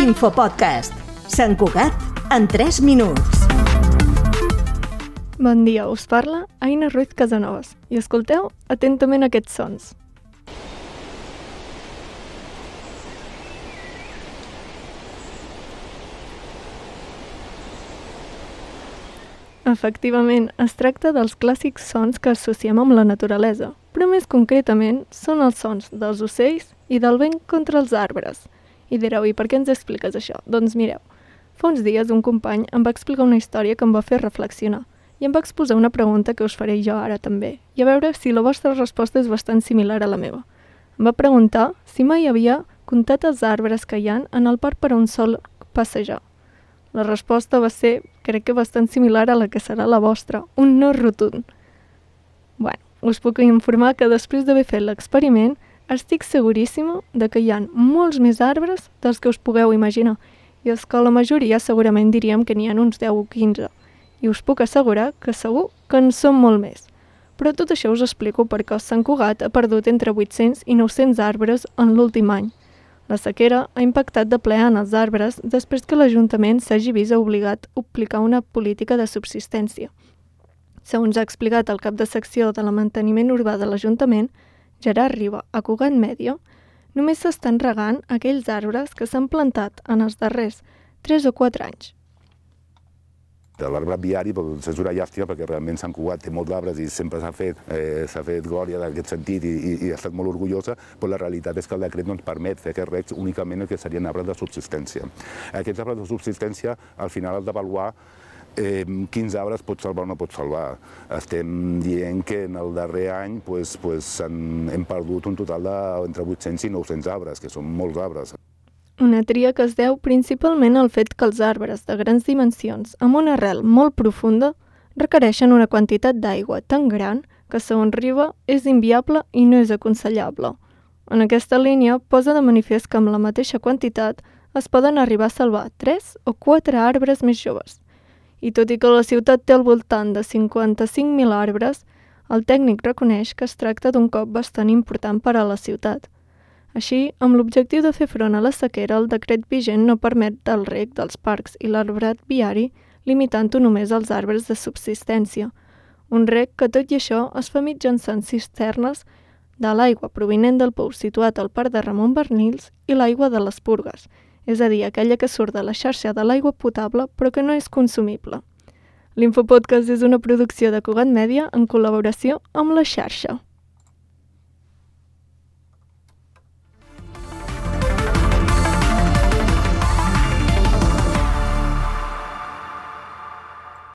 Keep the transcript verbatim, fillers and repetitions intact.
L'infopodcast. Sant Cugat en tres minuts. Bon dia, us parla Aina Ruiz Casanovas i escolteu atentament aquests sons. Efectivament, es tracta dels clàssics sons que associem amb la naturalesa, però més concretament són els sons dels ocells i del vent contra els arbres. I direu, i per què ens expliques això? Doncs mireu, fa uns dies un company em va explicar una història que em va fer reflexionar i em va exposar una pregunta que us faré jo ara també, i a veure si la vostra resposta és bastant similar a la meva. Em va preguntar si mai havia comptat els arbres que hi ha en el parc per a un sol passejar. La resposta va ser, crec que bastant similar a la que serà la vostra, un no rotund. Bueno, us puc informar que després d'haver fet l'experiment, estic seguríssima de que hi ha molts més arbres dels que us pugueu imaginar, i és que la majoria segurament diríem que n'hi ha uns deu o quinze, i us puc assegurar que segur que en són molt més. Però tot això us explico perquè Sant Cugat ha perdut entre vuit-cents i nou-cents arbres en l'últim any. La sequera ha impactat de ple en els arbres després que l'Ajuntament s'hagi vist obligat a aplicar una política de subsistència. Segons ha explicat el cap de secció de la manteniment urbà de l'Ajuntament, Gerard Riba, a Cugat Mèdia, només s'estan regant aquells arbres que s'han plantat en els darrers tres o quatre anys. L'arbrat viari és una llàstima perquè realment Sant Cugat té molts arbres i sempre s'ha fet, eh, s'ha fet glòria d'aquest sentit i, i, i ha estat molt orgullosa, però la realitat és que el decret no ens permet fer aquests recs únicament el que serien arbres de subsistència. Aquests arbres de subsistència al final has d'avaluar eh, quins arbres pots salvar o no pots salvar. Estem dient que en el darrer any pues, pues, hem, hem perdut un total d'entre vuit-cents i nou-cents arbres, que són molts arbres. Una tria que es deu principalment al fet que els arbres de grans dimensions amb una arrel molt profunda requereixen una quantitat d'aigua tan gran que, segons Riba, és inviable i no és aconsellable. En aquesta línia posa de manifest que amb la mateixa quantitat es poden arribar a salvar tres o quatre arbres més joves. I tot i que la ciutat té al voltant de cinquanta-cinc mil arbres, el tècnic reconeix que es tracta d'un cop bastant important per a la ciutat. Així, amb l'objectiu de fer front a la sequera, el decret vigent no permet el reg dels parcs i l'arbrat viari, limitant-ho només als arbres de subsistència. Un reg que, tot i això, es fa mitjançant cisternes de l'aigua provinent del pou situat al parc de Ramon Barnils i l'aigua de les Purgues, és a dir, aquella que surt de la xarxa de l'aigua potable però que no és consumible. L'Infopodcast és una producció de Cugat Mèdia en col·laboració amb la xarxa.